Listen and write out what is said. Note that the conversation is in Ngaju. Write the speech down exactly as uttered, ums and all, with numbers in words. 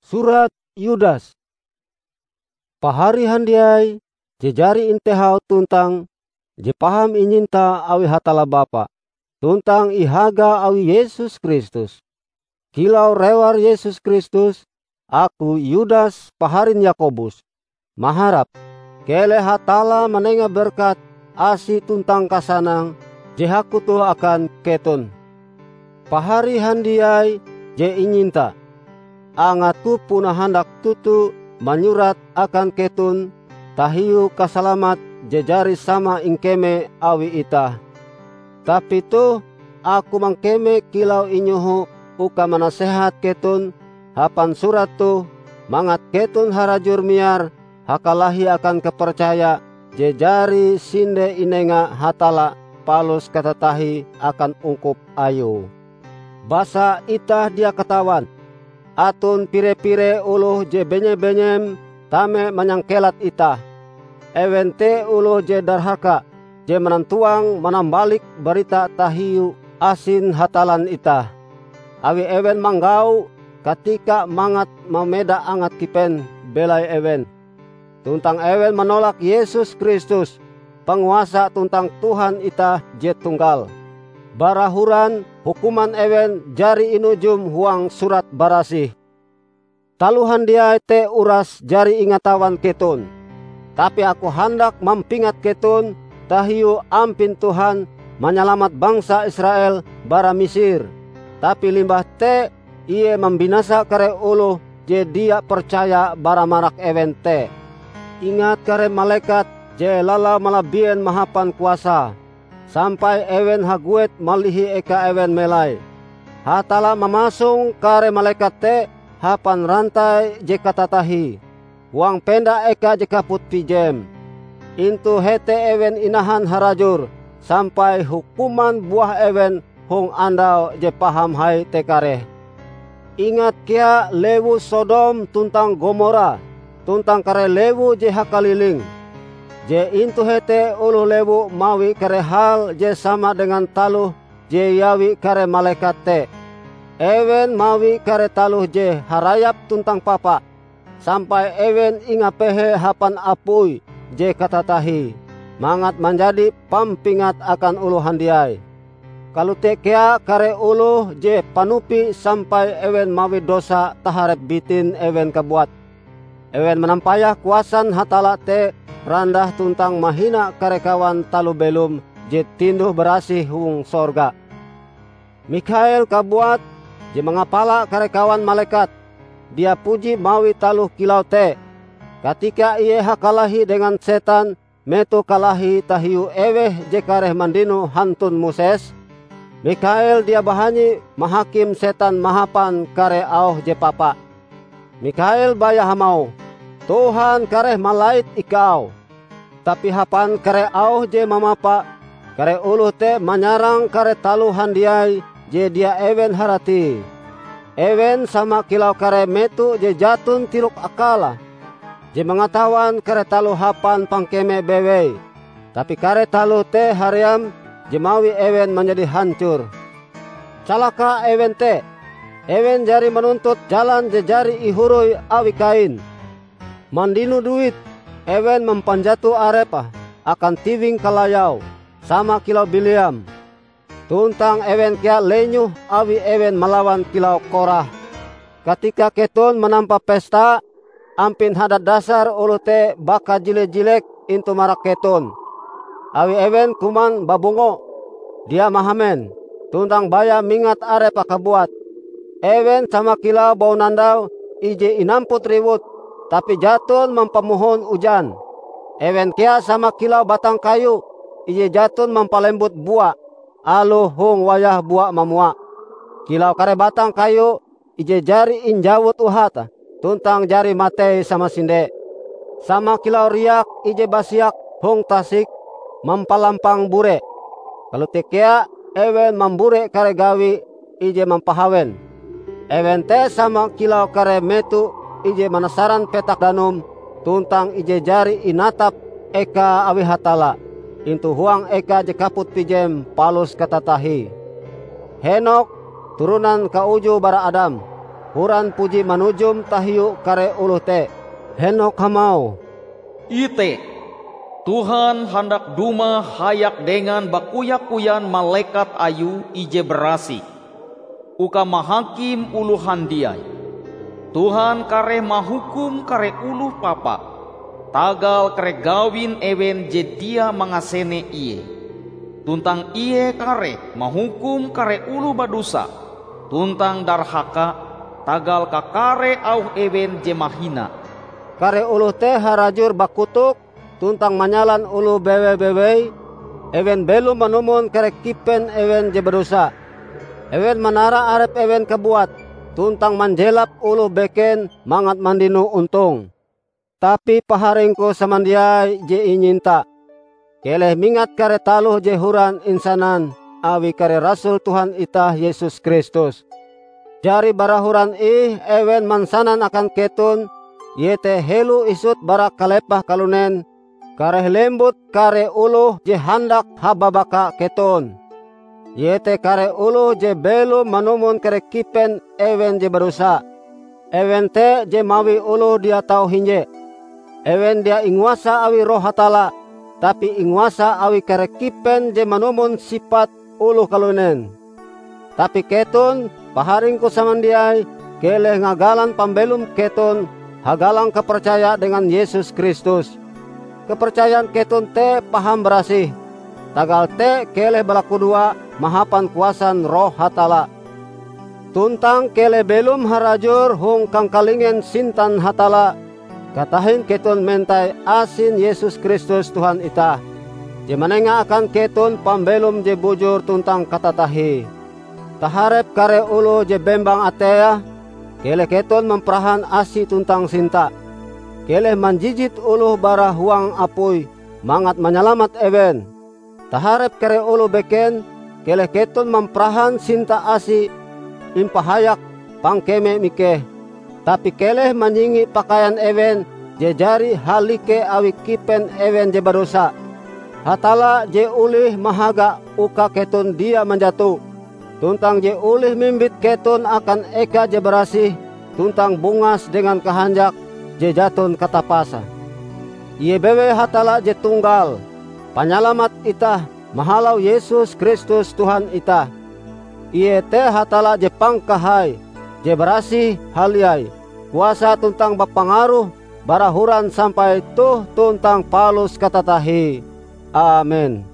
Surat Yudas. Pahari handiai je jari intehau tuntang je paham inyinta awi Hatalla Bapa, tuntang ihaga awi Yesus Kristus. Kilau rewar Yesus Kristus, aku Yudas paharin Yakobus, maharap keleh Hatalla manenga berkat asi tuntang kasanang je hakutoh akan keton. Pahari handiai je inyinta, angatku puna handak toto manyurat akan keton tahiu kasalamat je jari sama ingkeme awi itah. Tapi toh, aku mangkeme kilau inyoho uka manasehat keton hapan surat toh, mangat keton harajur miar hakalahi akan kapercaya je jari sinde inenga Hatalla palus katatahie akan ungkup Ayue. Basa itah dia katawan, aton pire-pire oloh je benye-benyem tame manyangkelat itah. Ewen te oloh je darhaka, je manantuang manambalik barita tahiu asin Hatallan itah. Awi ewen manggau katika mangat mameda angat kipen belai ewen. Tuntang ewen manolak Yesus Kristus, Panguasa tuntang Tuhan itah je tunggal. Bara horan hukuman ewen jari inujum huang Surat Barasih. Taloh handiai te uras jari ingatawan keton. Tapi aku handak mampingat keton tahiu ampin Tuhan manyalamat bangsa Israel bara Misir. Tapi limbah te Ie mambinasa kare oloh je dia percaya bara marak ewen te. Ingat kare malekat je lalau malabien mahapan kuasa, sampai ewen haguet malihi eka ewen melai. Hatalla mamasong kare malekat te hapan rantai je katatahie, huang penda eka je kaput pijem. Intu hete ewen inahan harajur sampai hukuman buah ewen hong andau je paham hai te kareh. Ingat kea lewu Sodom tuntang Gomora, tuntang kare lewu je hakaliling. Je intu hete oloh lewu mawi kare hal je sama dengan taloh je iawi kare malekat te. Ewen mawi kare taloh je harayap tuntang papa, sampai ewen ingapehe hapan apui je katatahie, mangat manjadi pampingat akan oloh handiai. Kalote kea kare oloh je panupi sampai ewen mawi dosa taharep bitin ewen kabuat. Ewen manampayah kuasan Hatalla te randah tuntang mahina kare kawan taloh belom je tinduh-barasih hong sorga. Mikhael kabuat, je mangapala kare kawan malekat, dia puji mawi taloh kilau te. Katika ie hakalahi dengan setan metoh kalahi tahiu eweh je kareh mandino hantun Moses, Mikhael dia bahanyi mahakim setan mahapan kare auh je papa. Mikhael baya hamauh, "Tuhan kareh malait ikau." Tapi hapan kare auh je mamapa, kare oloh te manyarang kare taloh handiai je dia ewen haratie. Ewen sama kilau kare meto je jaton tirok akale, je mangatawan kare taloh hapan pangkeme bewei, tapi kare taloh te haream je mawi ewen manjadi hancor. Calaka ewen te! Ewen jari manuntut jalan je jari ihoroi awi Kain. Mandino duit, ewen mampanjato arepe akan tiwing kalayau, sama kilau Bileam. Tuntang ewen kea lenyoh awi ewen malawan kilau Korah. Katika keton manampa pesta, ampin Hadadasar oloh te bakajile-jilek intu marak keton, awi ewen kuman babungo, dia mahamen, tuntang baya mingat arepe kabuat. Ewen sama kilau baunandau ije inamput riwut, tapi jaton mampamohon ujan. Ewen kea sama kilau batang kayu ije jaton mampalembut bua aloh hong wayah bua mamua. Kilau kare batang kayu ije jari injawut uhate tuntang jari matei samasinde. Sama kilau riak ije basiak hong tasik mampalampang bure, kalote kea ewen mambure kare gawi ije mampahawen. Ewen te sama kilau kare meto ije manasaran petak danum tuntang ije jari inatap eka awi Hatalla intu huang eka je kaput pijem palus katatahie. Henokh, turonan kaujue bara Adam, horan puji manujum tahiu kare oloh te. Henok hamauh, "Ite! Tuhan handak dumah hayak dengan bakoya-koyan malekat Ayue ije barasih, uka mahakim oloh handiai. Tuhan kareh mahukum kare oloh papa, tagal kare gawin ewen je dia mangasene Ie. Tuntang Ie kareh mahukum kare oloh badosa tuntang darhaka tagal kakare auh ewen je mahina." Kare oloh te harajur bakotok tuntang manyalan oloh bewe-bewei, ewen belom manumon kare kipen ewen je badosa. Ewen manara arep ewen kabuat tuntang manjelap oloh beken mangat mandino ontong. Tapi paharingku samandiai je inyinta, keleh mingat kare taloh je horan insanan awi kare rasul Tuhan itah Yesus Kristus. Jari bara horan ih ewen mansanan akan keton, iete helo isut bara kalepah kalunen, kareh lembut kare oloh je handak hababaka keton, iete kare oloh je belom manumon kare kipen ewen je badosa. Ewen te je mawi oloh dia tau hinje. Ewen dia inguasa awi Roh Hatalla, tapi inguasa awi kare kipen je manumon sipat oloh kalunen. Tapi keton, paharingku samandiai, keleh ngagalan pambelom keton hagalang kapercaya dengan Yesus Kristus. Kapercayan keton te paham barasih, tagal te keleh balakudoa mahapan kuasan Roh Hatalla. Tuntang keleh belom harajur hong kangkalingen sintan Hatalla, katahin keton mentai asin Yesus Kristus Tuhan itah, je manenga akan keton pambelom je bujur tuntang katatahie. Taharep kare oloh je bembang ateie, keleh keton mamparahan asi tuntang sinta. Keleh manjijit oloh bara huang apui mangat manyalamat ewen. Taharep kare oloh beken, keleh keton mamparahan sinta asi impahayak pangkeme mikeh, tapi keleh manyingi pakaian ewen je jari halike awi kipen ewen je badosa. Hatalla je olih mahaga uka keton dia manjato, tuntang je olih mimbit keton akan eka je barasih tuntang bungas dengan kahanjak je jaton katapase. Ie bewei Hatalla je tunggal, Panyalamat itah mahalau Yesus Kristus Tuhan itah. Ie te Hatalla je pangkahai, je barasih haliai, kuasa tuntang bapangaruh bara horan sampai toh tuntang palus katatahie. Amen.